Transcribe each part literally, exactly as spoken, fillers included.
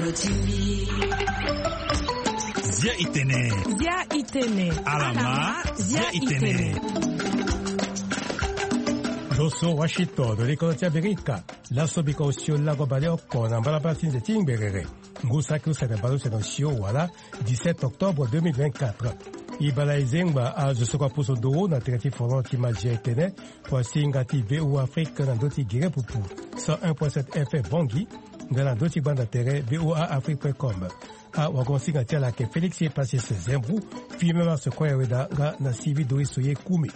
Zia itene. Zia itene. Alama. Zia itene. Zo so Washington, do likolo ti Amerika. Laso biko osio lango baleoko na mbalambala ti nze ti ngberere. Ngu saki use na baleuse na osio wala dix-sept octobre deux mille vingt-quatre. E bala e zengba azo so kua pusu nduru na tere ti folon ti Mazia etene, kua singa ti V O A Afrique na ndö ti gere pupu cent un point sept F M Bangui, nga na ndö ti gbanda tere V O A Afrique point com. Awagon singa ti ala ayeke Félix Epasis Zembou, Firmin Mars Koya Weda nga na Sylvie Doris Oye Koumi.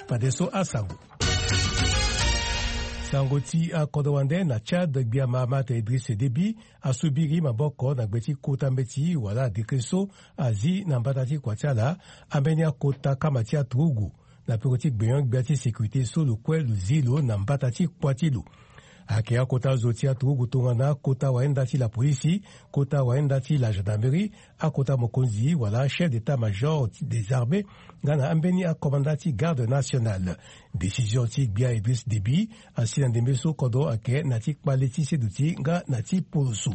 Fadeso asango. Sango ti akodro wande na Tchad, gbia Mahamat Idriss Déby asubiri maboko na gbe ti kota mbeti wala adekre so azi na mbata ti kua ti ala ambeni akota kama ti aturugu na peko ti gbenyo-gbia ti sécurité so lo kue lo zi lo na mbata ti kua ti lo. Ayeke akota zo ti aturugu tongana akota wayenda ti lapolisi, kota wayenda ti la gendarmerie, akota mokonzi wala chef d'état-major des armées, nga na ambeni akomanda ti garde nationale. Décision ti gbia Idriss Déby asi na ndembe so kodro ayeke na ti kpale ti seduti nga na ti poloso.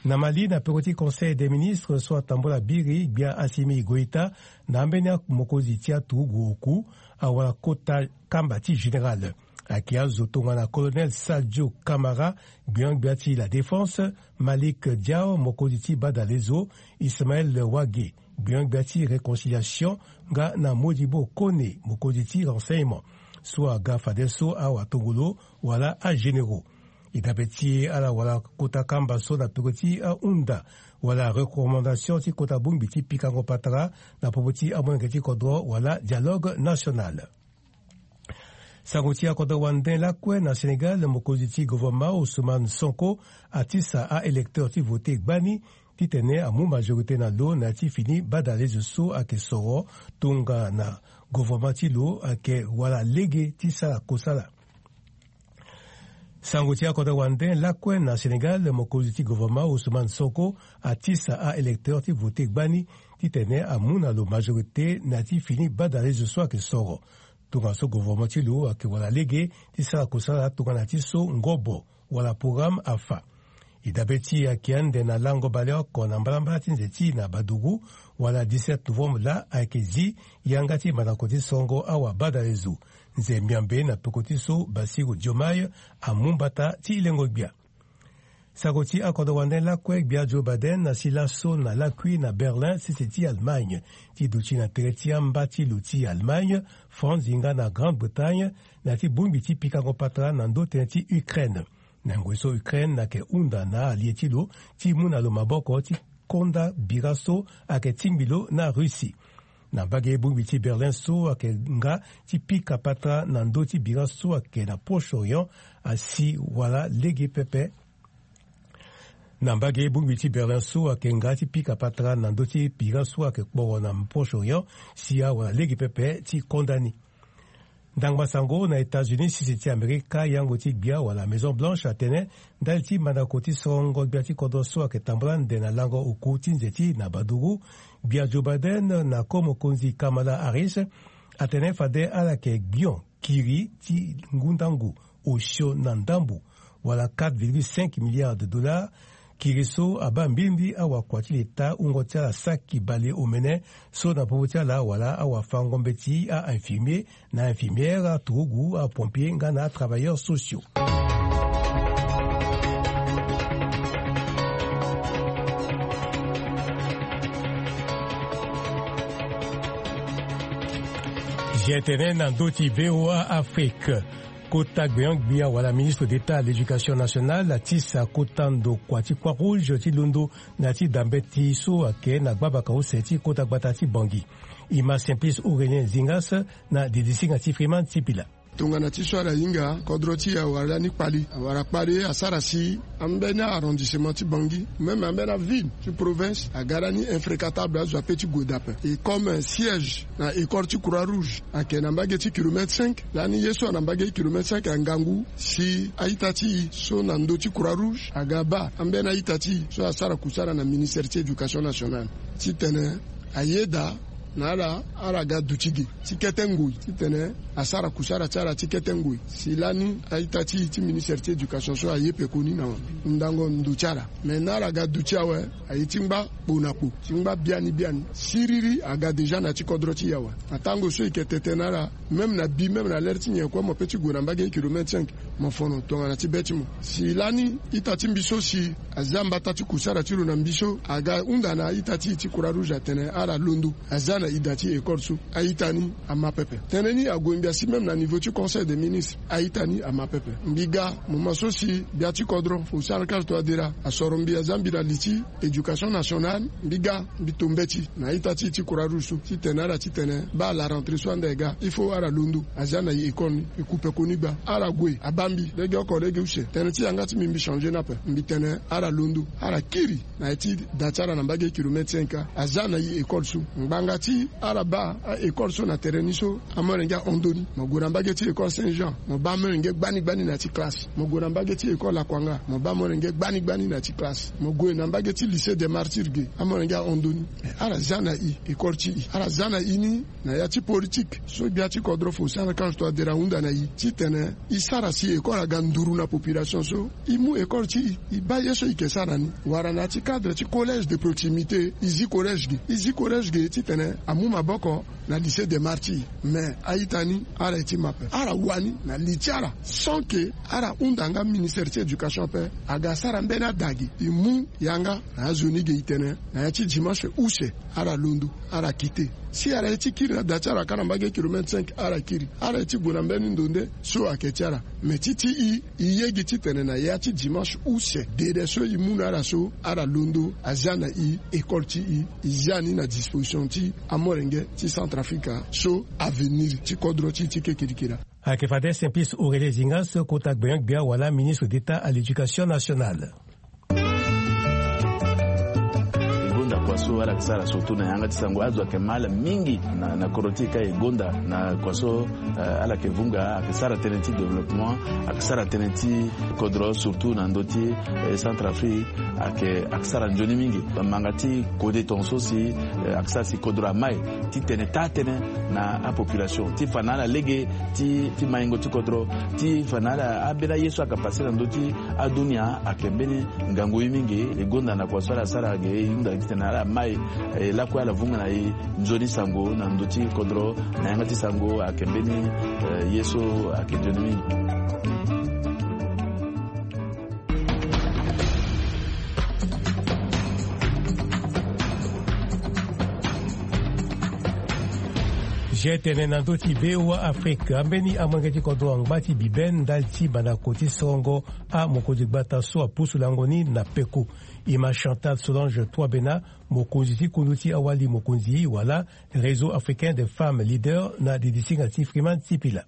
Na Mali, na peko ti Conseil des ministres so atambula biri, gbia Assimi Goïta na ambeni mokonzi ti aturugu oku awara kota kamba ti général. Ayeke azo tongana Colonel Sadio Camara, gbenyo-gbia ti la défense, Malik Diaw, mokonzi ti badalezo, Ismaël Wage, gbenyo-gbia ti réconciliation, nga na Modibo Kone, mokonzi ti renseignement. So aga fadeso awatongolo wala agénéraux. E dabe ti ala wala kota kamba so na peko ti ahunda wala recommandation ti kota bongbi ti pikango patara na popo ti amolenge ti kodro wala dialogue national. Sango ti akodro wande lakue na Sénégal, mokonzi ti gouvernement Ousmane Sonko atisa a-électeur ti vote gbani titene amu majorité na lo na ya ti fini badalezo so ayeke soro tongana gouvernement ti lo ayeke wala lege ti sara kosala. Sango ti akodro wande lakue na Sénégal, mokonzi ti gouvernement Ousmane Sonko atisa a-électeur ti vote gbani titene amu na lo majorité na ya ti fini badalezo so ayeke soro. Tongaso gouvernement ti lo ayeke wala lege ti sara kosala tongana ti so ngobo wala programme afa. E dabe ti e ayeke ande na lango baleoko na mbalambala ti nze ti na Baduru wala dix-sept novembre laa ayeke zi yanga ti mandako ti sorongo awabadalezo. Nze miambe na peko ti so Bassirou Diomaye amu mbata ti lengo-gbia. Sango ti akodro wande lakue, gbia Joe Biden asi laso na lakui na Berlin, sese ti Allemagne. Ti duti na tere ti amba ti lo ti Allemagne, France nga na Grande-Bretagne, na ya ti bongbi ti pikango patara na ndö tënë ti Ukraine. Na ngoi so Ukraine ayeke hunda na allié ti lo ti mu na lo maboko ti konda bira so ayeke tingbi lo na Russie. Na mbage bongbi ti Berlin so ayeke nga ti pika patara na ndö ti bira so ayeke na Proche-Orient asi wala lege pepe. Na mbage bongbi ti Berlin so ayeke nga ti pika patara na ndö ti bira so ayeke kporo na Proche-Orient si awala lege pepe ti konda ni. Ndangba sango na États-Unis, sese ti Amerika, yango ti gbia wala Maison Blanche atene ndali ti mandako ti sorongo gbia ti kodro so ayeke tambula ande na lango oku ti nze ti na Baduru, gbia Joe Biden na ko mokonzi Kamala Harris atene fade ala yeke gbion kiri ti ngu ndangu osio na ndambu wala quatre virgule cinq milliards de dollars. Kiri so abaa mbirimbiri awakua ti leta wungo ti ala saki bale omene so na popo ti ala wala awafango mbeti a-infirmier na infirmière, aturugu, apompier nga na atravailleurs sociaux. Zia tene na ndö ti V O A Afrique. Kota gbenyo-gbia wala ministre d'État à l'Éducation nationale atisa kota ndokua ti Croix-Rouge ti londo na ya ti da mbeti so ayeke na gbabaka use ti kota gbata ti Bangui. E ma Simplice Aurélien Zingas na didisinga ti Freeman Sipila. Tongana ti so ala hinga, kodro ti e awara lani kpali. Awara kpali asara si ambeni arrondissement ti Bangui, même ambeni aville ti province aga lani infréquentable, azo ape ti gue daa ape. Et comme siège na école ti Croix-Rouge ayeke na mbage ti kilomètre cinq, lani ye so ana mbage ti kilomètre cinq angangu si a-ita ti e so na ndö ti Croix-Rouge aga baa ambeni a-ita ti e so asara kusala na ministère ti éducation nationale titene ayeda Na ala, ala ga duti ge ti kete ngoi titene asara kusara ti ala ti kete ngoi. Si lani a-ita ti e ti ministre ti éducation so aye pekoni na hundango ndo ti ala. Me na ala ga duti awe, aye ti ngba kpo na kpo, ti ngba biani biani. Siriri aga déjà na ti kodro ti e awe. Na tango so e yeke tete na ala, même na bi, même na lere ti nyen kue, mo pe ti gue na mbage kilomètre cinq, mo fono tongana ti be ti mo. Si lani ita ti mbi so si aza mbata ti kusara ti lo na mbi so aga hunda na a-ita ti e ti Croix Rouge atene ala londo, aza na ida ti école so. A-ita ni ama pepe. Tënë ni ague ngbia si même na niveau ti Conseil des ministres, a-ita ni ama pepe. Mbi ga moment so si gbia ti kodro Faustin Archange Touadéra asoro mbi, aza mbi na li ti éducation nationale, mbi ga, mbi to mbeti na a-ita ti e ti Croix Rouge so titene ala titene baa la rentrée so ande e ga, il faut ala londo, aza na e école ni, e ku pekoni gba. Ala gue abaa mbi legeoko lege use. Tënë ti yanga ti mbi, mbi changer ni ape. Mbi tene ala londo, ala kiri na ya ti da ti ala na mbage kilomètre cinq, aza na e école so. Ngbanga ti ala baa a-école so na tere ni so, amolenge ahon ndoni. Mo gue na mbage ti école Saint Jean, mo baa amolenge gbani gbani na ya ti classe. Mo gue na mbage ti école Lakuanga, mo baa amolenge gbani gbani na ya ti classe. Mo gue na mbage ti lycée des Martyrs ge, amolenge ahon ndoni. Me ala za na e école ti e, ala za na e ni na ya ti politique so gbia ti kodro Faustin Archange Touadéra ahunda na e titene e sara si école aga nduru na population so. E mu école ti e, e baa ye so e yeke sara ni. Wala na ya ti cadre ti collège de proximité, e zi collège ge, e zi collège ge titene amu maboko na lycée des Martyrs. Me a-ita ni, ala ye ti ma ape. Ala wani na li ti ala sans que ala hunda nga ministre ti éducation ape aga sara mbeni ada ge. E mu yanga na azo ni ge, e tene na ya ti dimanche use ala londo, ala kite. Si ala ye ti kiri na da ti ala kâ na mbage kilomètre cinq, ala kiri. Ala ye ti gue na mbeni ndo nde so ayeke ti ala. Me ti ti e, e ye gi titene na ya ti dimanche use, dede so e mu na ala so, ala londo, aza na e école ti e, e za ni na disposition ti amolenge ti Centrafrique so avenir ti kodro ti e ti ke kirikiri. Ayeke fade Simplice Aurélien Zingas, kota gbenyo-gbia wala ministre d'État à l'éducation nationale. E gonda kua so ala yeke sara surtout na yanga ti sango, azo ayeke ma ala mingi na, na kodro ti e ka e gonda na kua so, eh, ala yeke vunga, ayeke sara tënë ti développement, ayeke sara tënë ti kodro surtout na ndö ti, eh, Centrafrique, ayeke, ayeke sara nzoni mingi. Manga ti kode tongaso si, eh, ayeke sara si kodro amai titene taa tënë na apopulation, ti fa na ala lege ti, ti maingo ti kodro, ti fa na ala, ambeni aye so ayeke pase na ndö ti adunia ayeke mbeni ngangu ye mingi. E gonda na kua so ala sara ge, e hunda titene ala mai, eh, lakue ala vunga na e nzoni sango na ndö ti kodro, na yanga ti sango ayeke mbeni, eh, ye so ayeke nzoni mingi. Ge tene na ndö ti V O A Afrique, ambeni amolenge ti kodro angba ti bibe ndali ti bandako ti sorongo amokonzi gbata so apusu lango ni na peko. E ma Chantal Solange Touabena, mokonzi ti kundu ti awali mokonzi wala Réseau africain des femmes leaders na didisinga ti Freeman Sipila.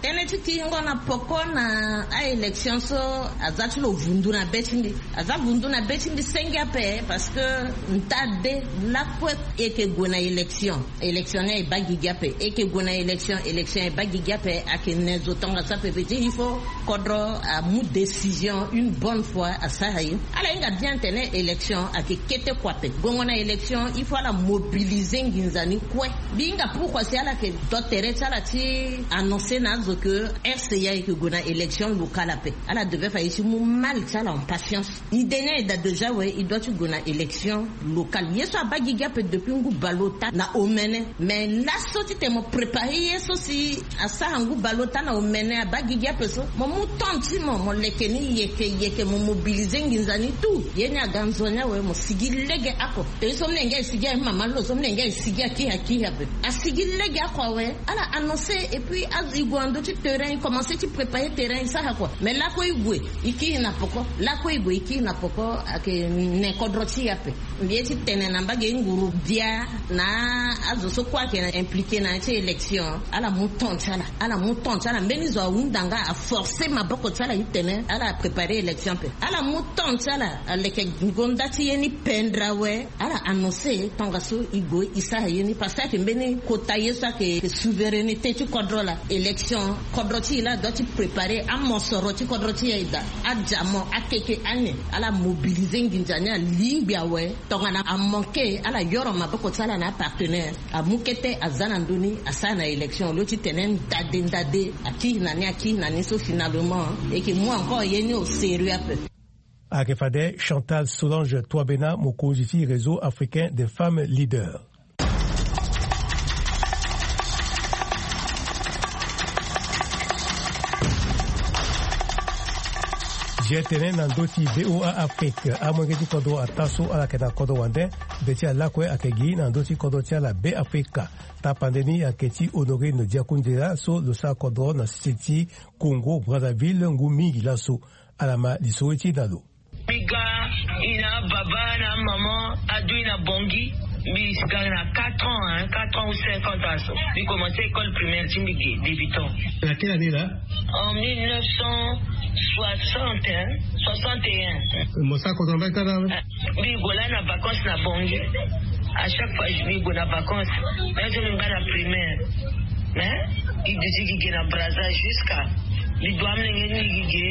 Tënë ti kiringo na poko na a-élection so aza ti lo vundu na be ti mbi. Aza vundu na be ti mbi senge ape parce que nta de lakue e yeke gue na élection. Élection ni e baa gigi ape. E yeke gue na élection, élection e baa gigi ape, ayeke ne zo tongaso ape. Veut dire il faut kodro amu décision une bonne fois asara ye. Ala hinga bien atene élection ayeke kete kua ape. Gongo na élection il faut ala mobiliser nginza ni kue. Mbi hinga pourquoi si ala yeke do tere ti ala ti annoncer na azo que R C A e yeke gue na élection locale ape. Ala devait fa ye ti mu mal ti ala en patience. Idée ni ayeke daa déjà, we, e doit ti gue na élection locale. Ye so abaa gigi ape depuis ngu bale ota na omene. Mais laso titene mo préparer ye so si asara ngu bale ota na omene, abaa gigi ape so, mo mu temps ti mo, mo leke ni yeke yeke, mo mobiliser nginza ni tout. Ye ni aga nzoni awe, mo sigi lege oko. Tene so mlenge asigi aye, mama lo so mlenge asigi akiri akiri ape. Asigi lege oko awe, ala annoncer, et puis azo e gue na ndö ti terrain, e commencer ti préparer terrain, e sara kua. Mais lakue e gue, e kiri na poko. Lakue e gue, e kiri na poko, ayeke ne kodro ti e ape. Mbi ye ti tene na mbage nguru bia na azo so kue ayeke na impliqué na ya ti élection, ala mu temps ti ala. Ala mu temps ti ala. Mbeni zo ahunda nga, aforcer maboko ti ala titene ala préparer élection ape. Ala mu temps ti ala, aleke ngonda ti ye ni pendere awe, ala annoncer tongaso e gue e sara ye ni, parce que ayeke mbeni kota ye so ayeke souveraineté ti kodro laa. Élection Kodro ti e la adua ti prépare amosoro ti kodro ti e daa. Adia mo akeke ane ala mobilize nginza ni alingbi awe. Tongana amanke ala yoro maboko ti ala na apartenaire amu kete aza na ndoni asara na élection lo ti tene ndade ndade akiri na ni akiri na ni so finalement eke mu encore ye ni au sérieux ape. Ayeke fade Chantal Solange Toibena mokonzi ti réseau africain des femmes leaders. Zia tene na ndö ti VOA Afrique amolenge ti kodro ata so ala yeke na kodro wande. Be ti alakue ayeke gi na ndö ti kodro ti ala Be Afrika. Tapande ni ayeke ti Honorine Diakoundela so lo sara kodro na sese ti Congo Brazzaville ngu mingi laso. Ala ma lisoro ti na lo. Mbi ga, i na ababa na amama adu i na Bangui. Mbi ga na quatre ans, hein, quatre ans ou cinq ans aso. Mbi commencé école primaire ti mbi ge débutant. Na quelle année là? En mille neuf cent soixante, hein, soixante et un. Mo sara kodro na mbage kâ la? Mbi go la na vacances na Bangui. À chaque fois mbi go na vacances, même so mbi baa na primaire. Mais mbi duti gi ge na Brazza jusqu'à mbi dua amolenge ni gi ge.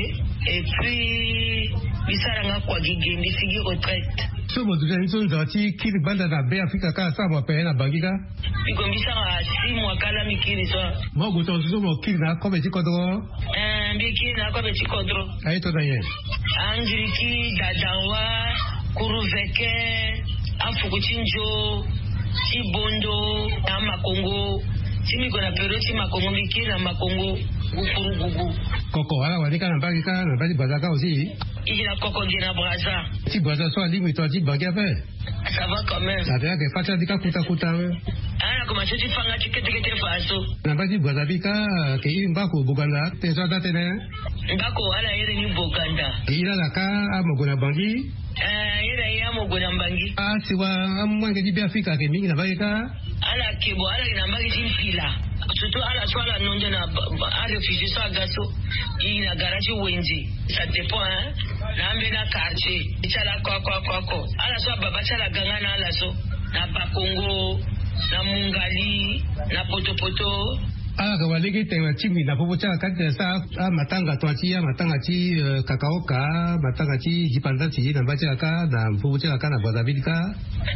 Et puis mbi sara nga kua gi ge mbi sigi retraite. So mo duti na ni so nzara ti kiri gbanda na Be Afrika kâ asara mo ape na Bangui kâ? Mbi go mbi sara six mois kâ la mbi kiri so. Mo gue tongaso so mo kiri na akobe ti kodro? Eh, mbi kiri na akobe ti kodro. Aye to na nyen? Angiriki, dadanwa, kuruveke, afuku ti nzo, ti bondo, na makongo. Si mbi gue na période ti makongo mbi kiri na makongo, gukurugugu. Koko ala wani kâ na mbage kâ na mbage ti Brazza kâ aussi? I gi na koko gi na Brazza. Ti Brazza so alingbi tongana ti Bangui ape? Ça va quand même. Ape ayeke fa ti ala ti kâ kuta kuta. Ala na komanse ti fa nga ti kete kete fa so. Na mbage ti Brazza mbi kâ, ayeke iri mbaku Boganda tene so ada tënë? Mbaku ala iri ni Boganda. E iri ala kâ amo gue na Bangui? Eh, iri aye amo gue na Bangui. Asiwa amolenge ti Be Afrika ayeke mingi na mbage kâ? Ala yeke bo, ala yeke na mbage ti mpila. Surtout ala so ala nondo na ba- ba- aréfugié so aga so. I na gara ti wenze. Ça dépend, hein. Na ambeni akartier ti ala oko oko oko oko. Ala so ababa ti ala aga nga na ala so, na Bakongo, na Mungali, na Potopoto. Ala yeke wara lege ti tene na tingbi na popo ti ala kâ ti tene sara amatanga tongana ti amatanga ti, eh, kakaoka, amatanga ti dipandati na mbage ti ala kâ na popo ti ala kâ na Brazzaville kâ.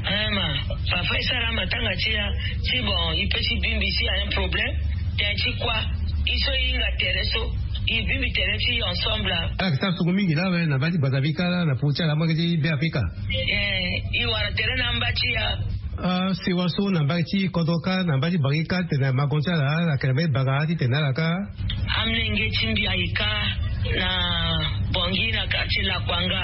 Eh ma, parfois e sara amatanga ti ya. Si bon, e peut ti bingbi si a un problème. Tene ti kua? E so e hinga tere so, e bingbi tere ti ensemble. Ala yeke sara sungu mingi lawe na mbage ti Brazzaville kâ la na popo ti ala mbage ti Be Afrika. Eh, e wara tere na amba ti ya. Ah, sewa so na mbage ti kodro kâ na mbage ti Bangui kâ ti tene makongo ti ala ala yeke na mbage ti Bangui ti tene na ala kâ? Amolenge ti mbi aye kâ na Bangui na quartier Lakwanga.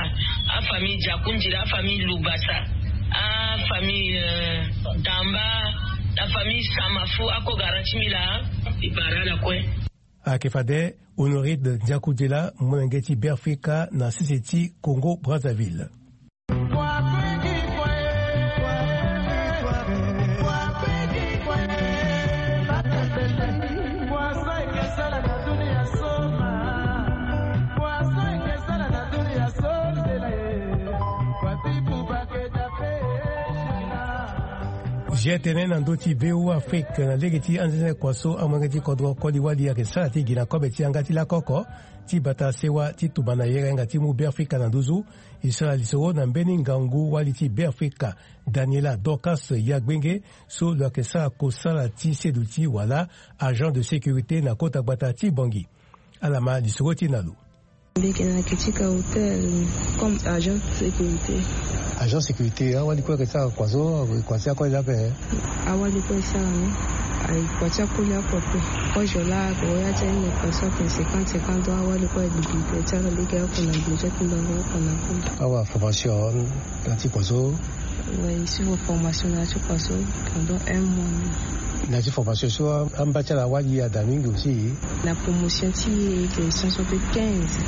Afamille Diakundila, afamille Lubasa, afamille, euh, Damba, na famille Samafu, ako gara ti mbi laa. E bara ala kue. Ayeke fade Honorine Diakundila molenge ti Be Afrika na sese ti Congo Brazzaville. Zia tene na ndö ti VOA Afrique na lege ti anzene kua so amolenge ti kodro koli wali ayeke sara ti gi na kobe ti yanga ti lakoko ti bata sewa ti tumba na yere nga ti mu Be Afrika na nduzu. E sara lisoro na mbeni ngangu wali ti Be Afrika, Daniela Dorcas Yagbenge, so lo yeke sara kosala ti seduti wala agent de sécurité na kota gbata ti Bangui. Ala ma lisoro ti na lo. Mbi yeke na Kitika Hotel comme agent de sécurité. Agent sécurité, awali kue ayeke sara kua so, kua ti akoli ape? Awali kue e sara ni. Aye kua ti akoli oko ape. Kozo laa ako ya ti aye ni kua so atene cinquante cinquante ans, awali kue aye gbigbigbi ti ala lege oko na gbo ti atumba oko na oko. Awa formation na ya ti kua so? Ouais, e suivre formation na ya ti kua so pendant un mois. Na ya ti formation so amba ti ala awali ada mingi aussi. Na promotion ti e ayeke cent soixante-quinze.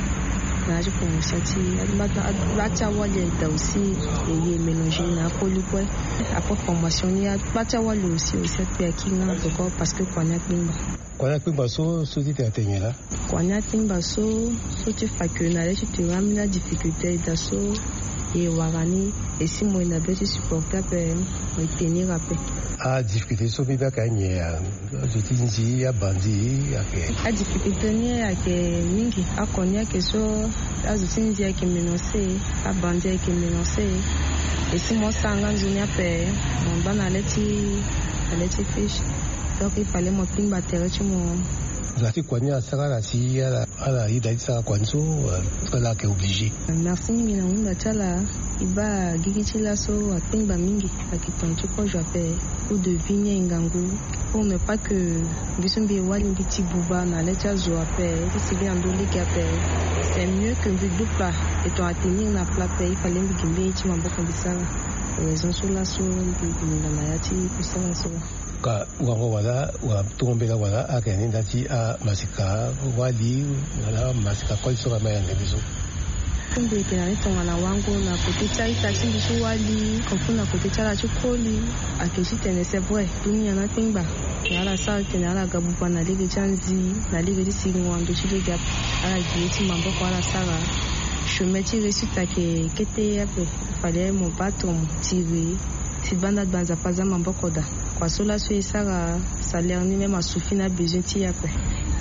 Na ya ti promotion ti e, aba ti awali ayeke daa aussi. E ye mélanger na akoli kue. Après formation ni, aba ti awali aussi, aussi akpe aki nga na tokua parce que kua ni akpengba. Kua ni akpengba so, so ti tene atene nyen laa? Kua ni akpengba so, so ti fa que na le ti tene ambeni adifficulté ayeke daa so. E wara ni, e si mo e na be ti supporter ape, mo e tenir ape. Adifficulté so mbi baa ka nyen? Azo ti nzi abandi ake. Adifficulté ni ake mingi, oko ni ake so azo ti nzi ake menacé, abandi ake menacé. E si mo sara nga nzoni ape, mo baa na le ti, na le ti fiche. Donc il fallait mo tingba tere ti mo. Za ti kua ni asara ala si ala, ala yeda ti sara kua ni so, euh, ala ake obligé. Merci mingi na wunga ti ala. E baa gigi ti laso atingba mingi, ake tongana ti kozo ape. Coût de vie ni aye ngangu. Pour ne pas que mbi so mbi e wali mbi ti buba na le ti azo ape, ti sigi na ndö lege ape. C'est mieux que mbi du plat, e tongana tenir na plat ape, il fallait mbi gi mbeni ye ti maboko mbi sara. Raison so laso mbi, mbi linga na ya ti kusala so. Ka wango wala, wala tongo mbela wala, ake ni nda ti amasika wali, wala amasika koli so ka ma yande mbi so. Mbi yeke na ni tongana wango na kote ti a-ita ti mbi so wali, comme na kote ti ala ti koli, ake titene c'est vrai, dunia ni akpengba. Na ala sara titene ala ga buba na lege ti anzi, na lege ti sigingo na ndö ti lege ape. Ala gi ye ti maboko ala sara. Chemin ti réussite ake kete ape. Fallait mo battre, mo tirer. Si banda gba Nzapa aza maboko daa. Kua so laso e sara salaire ni même asuffit na besoin ti e ape.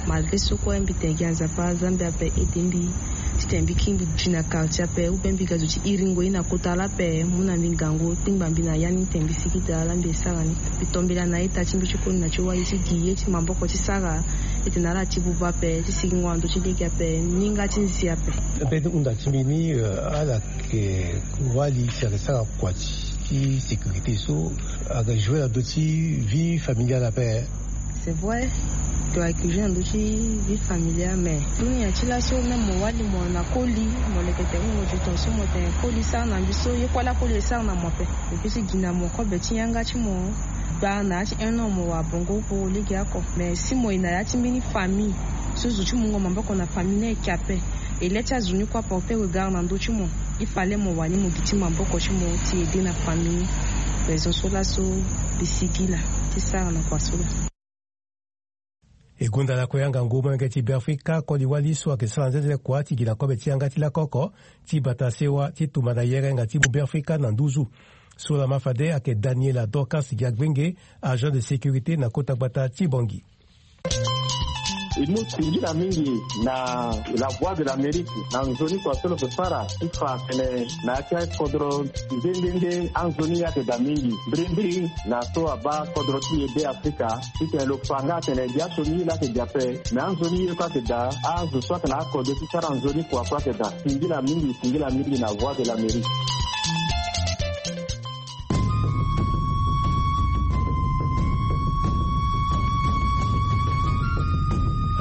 Malgré so kue mbi tene gi na Nzapa, Nzambe ape aide mbi. Titene mbi kiri mbi duti na quartier ape, ou bien mbi ga zo ti iringo ye na kota laa ape, mu na mbi ngangu, tingba mbi na ya ni titene mbi sigi daa laa mbi e sara ni. Mbi tombela na a-ita ti mbi ti koli na ti wali ti gi ye ti maboko ti sara, titene ala ti buba ape, ti sigingo na ndö ti lege ape, ninga ti nzi ape. Mpe ti hunda ti mbi ni, euh, ala ke wali si ake sara kua ti, ti sécurité so, ake jouer na ndö ti vie familiale ape. C'est vrai, to ake jouer na ndö ti vie familiale, mais dunia ti laso même mo wali mo na koli, mo leke tene mo duti tongaso mo tene koli sara na mbi so, ye kue laa koli e sara na mo ape. E peut ti gi na mo kobe ti yanga ti mo, gba na ya ti un an mo wara bongo po lege oko. Mais si mo ye na ya ti mbeni famille so zo ti mungo maboko na famille ni ayeke ape, e le ti azo ni kue aporter regard na ndö ti mo, il fallait mo wani mo gi ti maboko ti mo ti aider na famille ni. Raison so laso mbi sigi laa ti sara na kua so laa. E gonda lakue yanga ngu molenge ti Beafrika koli wali so ayeke sara nzenze kua ti gi na kobe ti yanga ti lako oko ti bata sewa ti tumba na yerenga ti mu Beafrika na nduzu. So lama fade ayeke Daniela Dorcas Giagbenge, agent de sécurité na kota gbata ti Bangui. E mu singila mingi na La Voix de l'Amérique na nzoni kua so lo yeke sara ti fa atene na ya ti akodro nde nde nde anzoni ayeke daa mingi mbirimbiri na so abaa kodro ti e Beafrika. Titene lo fa nga atene gi aso ni ye laa ayeke gi ape, me anzoni ye kue ayeke daa, azo so ayeke na akode ti sara nzoni kua kue ayeke daa. Singila mingi, singila mingi na Voix de l'Amérique.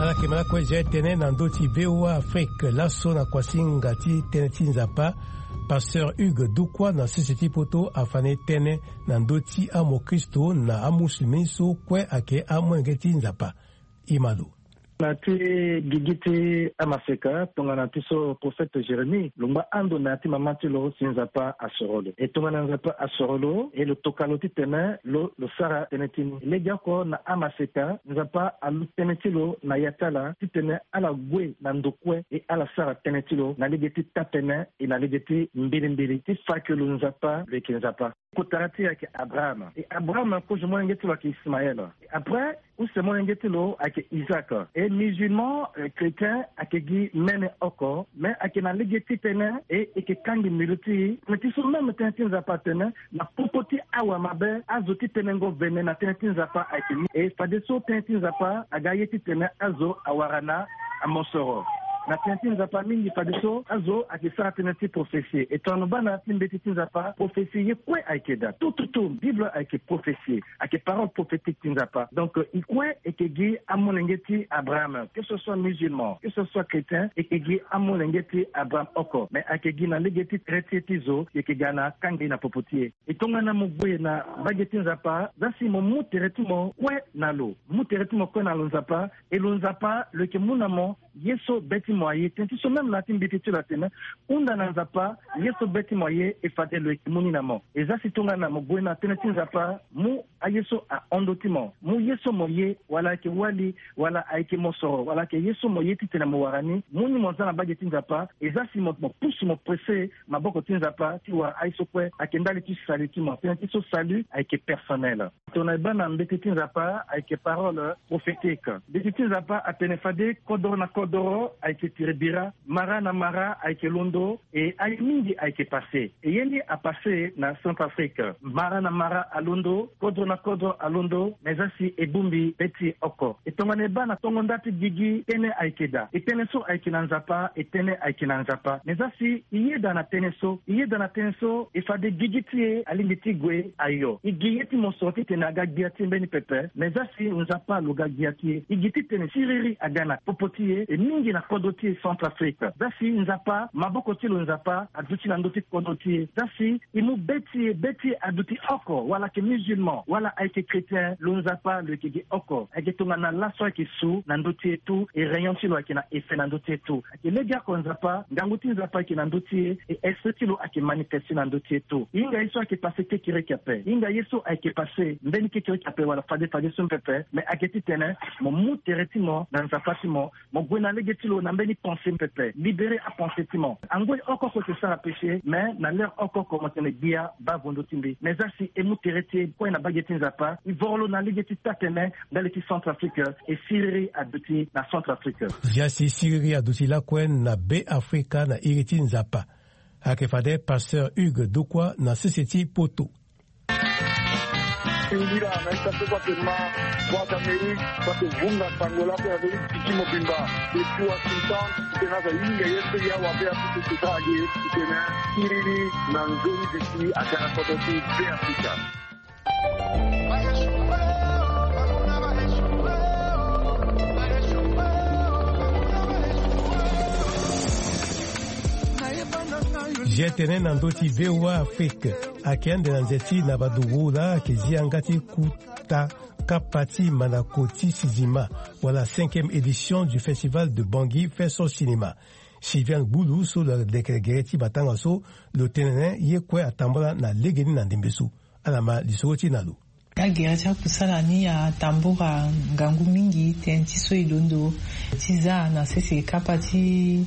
Ala yeke ma lakue zia tënë na ndö ti V O A Afrique. Laso na kuasinga ti tënë ti Nzapa, Pasteur Hugues Dukwa na sese ti poto afa na e tënë na ndö ti amokristo na amusulmi so kue ayeke amolenge ti Nzapa. Imalo. Na ti gigi ti amaseka tongana ti so prophète Jérémie lo ngba ando na ya ti mama ti lo si Nzapa asoro lo. E tongana Nzapa asoro lo, e lo toka lo titene lo, lo sara tënë ti ni. Legeoko na amaseka, Nzapa alu tënë ti lo na ya ti ala titene ala gue na ndo kue e ala sara tënë ti lo na lege ti taa-tënë e na lege ti mbirimbiri ti fa ke lo Nzapa, lo yeke Nzapa. Kotara ti e ayeke Abraham. E Abraham kozo molenge ti lo ayeke Ismaël. E après, use molenge ti lo ayeke Isaac. E musulman, eh, chrétien ayeke gi mene oko, me ayeke na lege ti tënë, e, e yeke kangbi mbilo ti e. Me ti so même tënë ti Nzapa atene, na popo ti awamabe, azo ti tenengo vene na tënë ti Nzapa ayeke ni. E fadeso tënë ti Nzapa aga ye titene azo awara na amosoro. Na tënë ti Nzapa mingi fadeso azo ayeke sara tënë ti prophétie. E tongana lo baa na ya ti mbeti ti Nzapa, prophétie ye kue ayeke daa. Tout, tout, tout, Bible ayeke prophétie. Ayeke parole prophétique ti Nzapa. Donc, euh, e kue e yeke gi amolenge ti Abraham, que ce soit musulman, que ce soit chrétien, e yeke gi amolenge ti Abraham oko. Mais ayeke gi na lege ti tere ti e ti zo, e yeke ga na kanga e na popo ti e. E tongana mo gue na mbage ti Nzapa, za si mo mu tere ti mo kue na lo. Mu tere ti mo kue na lo Nzapa, e lo Nzapa lo yeke mu na mo ye so be ti Mo aye tënë ti so même na ya ti mbeti ti lo atene, hunda na Nzapa, ye so be ti mo aye e fade lo yeke mu ni na mo. E za si tongana mo gue na tënë ti Nzapa, mu aye so ahon ndö ti mo, mu ye so mo ye, wala ayeke wali, wala ayeke mosoro, wala ayeke ye so mo ye titene mo wara ni, mu ni mo za na mbage ti Nzapa. E za si mo pusu mo presse maboko ti Nzapa ti wara aye so kue ayeke ndali ti salut ti mo. Tënë ti so salut ayeke personnel. Tongana e baa na mbeti ti Nzapa ayeke parole prophétique. Mbeti ti Nzapa atene fade kodoro na kodoro ayeke tiri bira, mara na mara ayeke londo, e aye mingi ayeke passe. E ye ni apasse na Centrafrique. Mara na mara alondo, kodro na kodro alondo, me za si e bongbi be ti e oko. E tongana e baa na tongo nda ti gigi, tënë ayeke daa. E tënë so ayeke na Nzapa, e tënë ayeke na Nzapa. Me za si e yeda na tënë so, e yeda na tënë so, e fade gigi ti e alingbi ti gue ayo. E gi ye ti mosoro titene aga gbia ti e mbeni pepe, me za si Nzapa lo ga gbia ti e. E gi titene siriri aga na popo ti e, e mingi na kodro ti e Centrafrique. Za si Nzapa, maboko ti lo Nzapa aduti na ndö ti kodro ti e. Za si e mu be ti e, be ti e aduti oko, wala ayeke musulman, wala ayeke chrétien, lo Nzapa lo yeke gi oko. Ayeke tongana laso ayeke su na ndö ti e tout, e rayon ti lo ayeke na effet na ndö ti e tout. Ayeke legeoko Nzapa, ngangu ti Nzapa ayeke na ndö ti e, e esprit ti lo ayeke manifeste na ndö ti e tout. E hinga ye so ayeke passe kekereke ape. E hinga ye so ayeke passe mbeni kekereke ape wala fade fade so pepe, me ayeke titene mo mu tere ti mo na Nzapa ti mo, mo gue na lege ti lo na mbeni pensée pepe, libérer apensée ti mo. Angoi oko oko e ke sara péché, mais na l'heure oko oko mo tene gbia baa gue ndö ti mbi. Mais za si e mu tere ti e kue na mbage ti Nzapa, e voro lo na lege ti taa-tene ndali ti Centrafrique, e siriri aduti na Centrafrique. Za si siriri aduti lakue na Be Afrika na iri ti Nzapa. Ayeke fade pasteur Hugues Dokua na sese ti poto. Singila na ita so kue atene ma Voix d'Amérique, so ake vunga sango lakue na ndö ti tiki mobimba. Depuis Washington, titene azo ahinga ye so ya wa Be Afrika eke sara ge, titene siriri na nzoni bisi aga na kodro ti Be Afrika. Zia tene na ndö ti V O A Afrique. Ayeke ande na nze ti na baduru laa ayeke zi yanga ti kuta kapa ti mandako ti sizima, wala cinquième édition du festival de Bangui Fest Son Cinéma. Sylviane Gbulu so lo lekere gere ti matanga so, lo tene ye kue atambula na legeni na ndembe so. Ala ma lisoro ti e na lo. Agere ti akusala ni atambula ngangu mingi, tënë ti so e londo ti za na sese kapa ti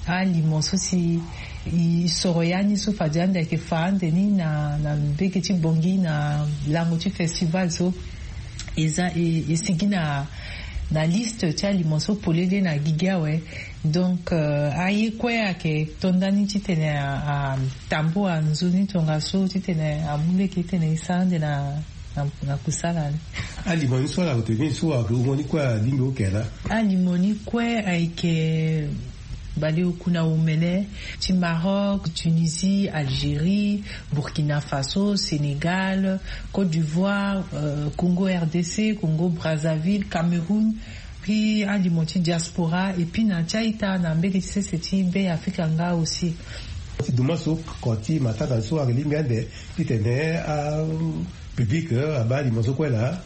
alimo so si e soro ya ni so fade ande ayeke fa ande ni na, na mbege ti Bangui na lango ti festival so. E za, e, e sigi na, na liste ti alimo so polele na gigi awe. Donc, euh, aye kue ayeke to ndani titene a, atambula nzoni tongaso titene amu lege titene e sara ande na, na, na kusala ni. Alimo ni so ala ute ni so ahungo ni kue alingbi oke laa? Alimo ni kue ayeke baleoku na omene ti Maroc, Tunisie, Algérie, Burkina Faso, Sénégal, Côte d'Ivoire, euh, Congo R D C, Congo Brazzaville, Cameroun, puis alimo ti diaspora, et puis na ti a-ita na mbege ti sese ti Be Afrika nga aussi. Ti dumaso, ko ti matanga so ayeke lingbi ande titene a public, euh, abaa alimo so kue laa?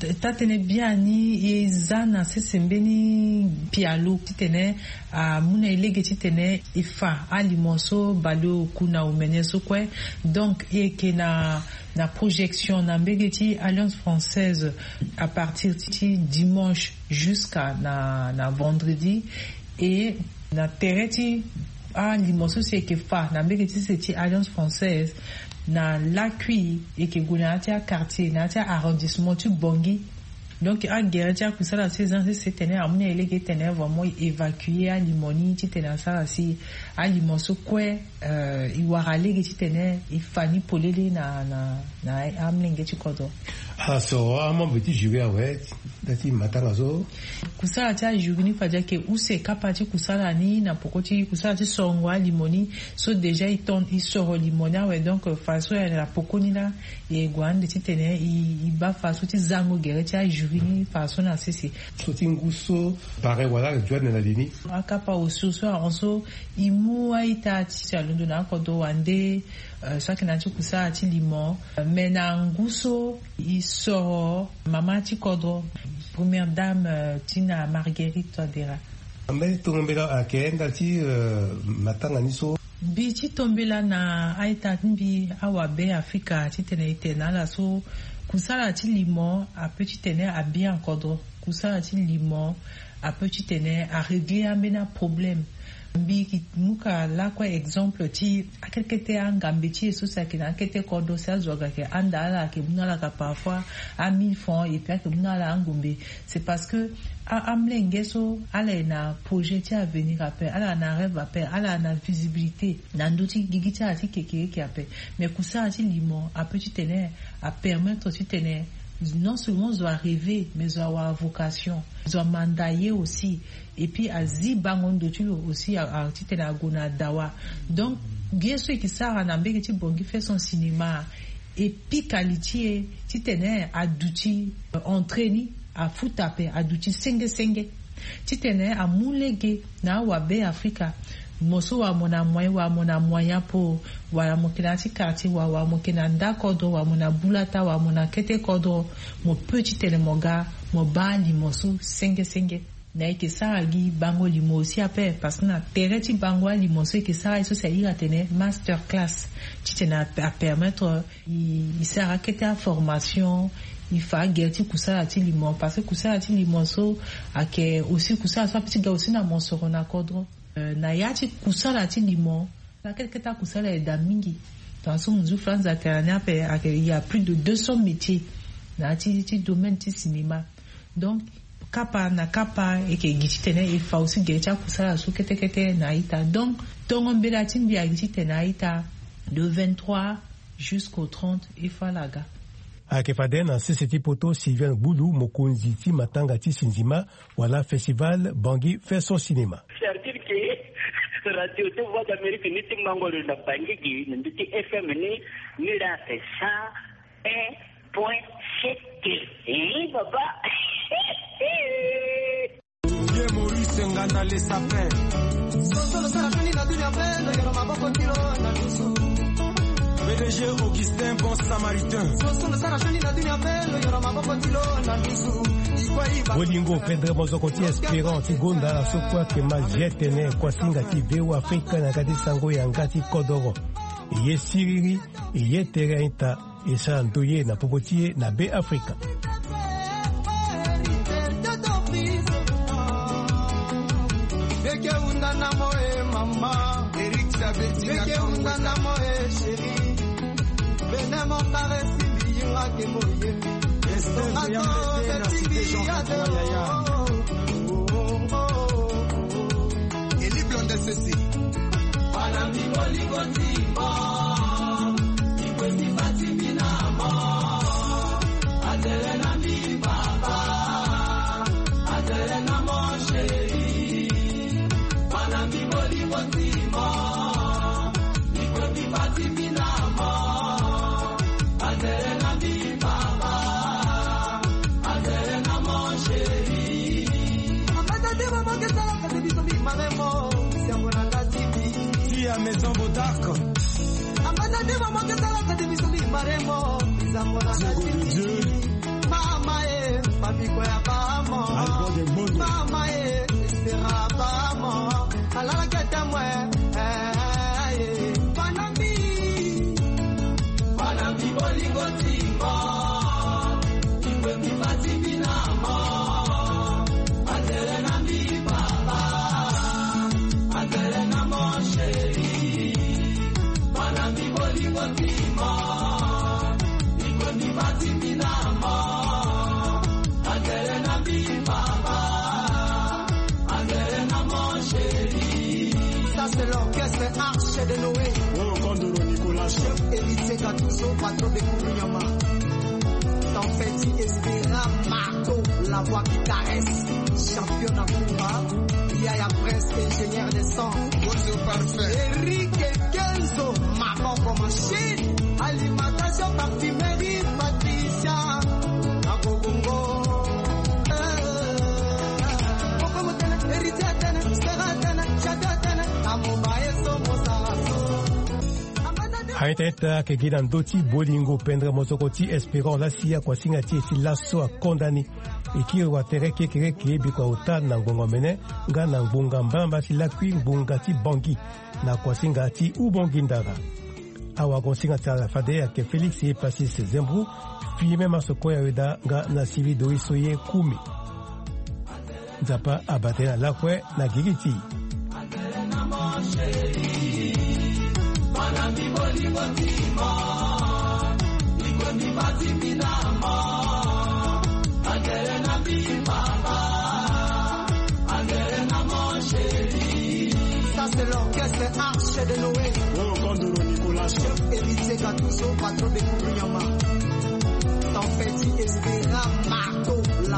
Taa-tënë biani e za na sese mbeni pialo titene amu na e lege titene e fa alimo so baleoku na omene so kue. Donc e yeke na, na projection na mbege ti Alliance Française à partir ti dimanche jusqu'à na, na vendredi. Et na tere ti alimo so si e yeke fa na mbege ti sese ti Alliance Française, na lakui e yeke gue na ya ti aquartier, na ya ti arrondissement ti Bangui. Donc agere ti akusala so e za na sese titene amu na e lege titene vraiment e évacuer alimo ni titene asara si alimo so kue, euh, e wara lege titene e fa ni polele na, na, na amolenge ti kodro. Ala soro amembre ti jury awe nda ti matanga so? Kusala ti ajury ni fade ayeke use kapa ti kusala ni na poko ti kusala ti sorongo alimo ni. So déjà e ton, e soro limo ni awe, donc fadeso e na poko ni laa e gue ande titene e, e baa fadeso ti zango gere ti ajury ni fadeso na sese. So ti ngu so pare wala ayeke duane na li ni? Akapa osio so ahon so e mu a-ita ti si alondo na akodro wande, euh, so ayeke na ya ti kusala ti limo, euh, me na ngu so e soro mama ti kodro, première dame, euh, Tina Marguerite Touadéra. Mbeni tongo mbela ayeke ndali ti matanga ni so. Mbi ti tombela na a-ita ti mbi awabe afrika titene e tene na ala so kusala ti limo ape titene abien akodro. Kusala ti limo ape titene aréglé ambeni aproblème. Mbi yeke mu ka lakue exemple ti akete kete angambe ti e so si ayeke na akete kodro si azo aga ayeke handa ala ayeke mu na ala ka parfois a mille francs et puis ayeke mu na ala angombe. C'est parce que amolenge so ala ye na projet ti avenir ape, ala na rêve ape, ala na visibilité na ndö ti gigi ti ala ti kekereke ape. Mais kusala ti limo ape titene apermettre titene non seulement zo arêver mais zo awara vocation, zo amanda ye aussi. Et puis azi bango ndo ti lo aussi titene ague na dawa. Donc ye so e ke sara na mbege ti bongi fait son cinéma e pika li ti e titene aduti entrée ni afuta ape aduti senge senge titene amu lege na awabe afrika. Mo so wala mo na moyen wala mo na moyen apo wala mo yeke na ya ti quartier wala wala mo yeke na nda kodro wala mo na bulata wala mo na kete kodro, mo peut titene mo ga mo baa limo so senge senge. Na e yeke sara gi bango limo aussi ape parce que na tere ti bango alimo so e yeke sara ye so si ahiri atene master class titene apermettre e sara akete aformation. E fa agere ti kusala ti limo parce que kusala ti limo so ayeke aussi kusala so ape ti ga aussi na mosoro na kodro. Na ya ti kusala ti limo na kete kete akusala eda mingi. Tongaso mo zu franz atene ni ape ayeke il y a plus de deux cents métiers na ya ti domaine ti cinéma. Donc kapa na kapa e yeke gi titene e fa aussi gere ti akusala so kete kete na a-ita. Donc tongo mbela ti mbi agi titene a-ita de vingt-trois jusqu'au trente e fa ala ga. Ayeke fade na sese ti poto sylviane gbulu mokonzi ti matanga ti sinzima wala festival bangi fait son cinéma. Certile ke radio ti voix d'amérique ni ti mango lo na bangi gi na mbi ti fm ni. Ni la ake cent un point sept. Baba. Vieux Maurice Nganda le sapin. Pdg Augustin bon samaritain. Bolingo pendre mozoko ti espérant ti gonda na so kue ake ma zi tene kuasinga ti veo afrika na ga ti sango yanga ti kodoro. Eye siriri eye tere a-ita. E sara ndoye na popo ti e na be afrika. Beke unda na mo e mama. Eric Sabeti na Kongo. Beke unda na mo e chéri. Bene mo karesi biyinga ke mo ye. Esther Yambete na Cité Jean Yaya. Eli blonde sese. Bana mi bolingo ti mo. Ikwesi bati mi na mo. Atele na mi baba. Atele na mo chéri. Bana mi bolingo ti mo. Ikwesi bati mi na mo. Atele na mi baba. Atele na mo chéri. Amata te mama ke sala kate biso bi maremo. Siango na nga ti bi. Ti ya maison bodark. Amata te mama ke sala kate biso bi maremo. Siango na nga ti bi. Mama e, famiko ya bamo. Mama e, sera bamo. Alala kete mwe. Banami, banami bolingo ti mo. Ikwemi bati mi na mo. Atele na mi papa. Atele na mo chéri. Banami bolingo ti mo. Ikwemi bati mi na mo. Atele na mi papa. Atele na mo chéri. Ça c'est l'orchestre Arche de Noé. Oh, Kondoro Nicolas. Chef Héritier Gattuso, patron de Kourounyama. Ton petit Espérant Marco, la voix qui caresse. Champion na Koura. Yaya Prince, ingénieur de son. Bonjour, parfait. Eric Kenzo, Maboko Machine. Alimentation, parfumerie, Patricia. Akobongo. Eh. Héritier atene, Stera atene, Chata atene, Amobaye so mosara so. Teta ayeke gi na ndö ti bolingo pendere mosoko ti Espérant lasi akuasinga ti e ti laso akonda ni. E kiri watere kekereke biko aota na ngbonga omene nga na ngbonga mbalambala ti lakui ngbonga ti Bangui na kuasinga ti Ubangui Ndara. Awagosinga ti ala fade ayeke Félix Epasis Zembro, Firmin Masoko ya Weda nga na Sylvie Doris Oye Kumi. Nzapa abate na lakue na gigi ti. Ça, c'est l'orchestre Arche de Noé. Oh, Kondoro Nicolas. Chef Héritier Gattuso, patron de Kourounyama. Tempête Espera Marteau.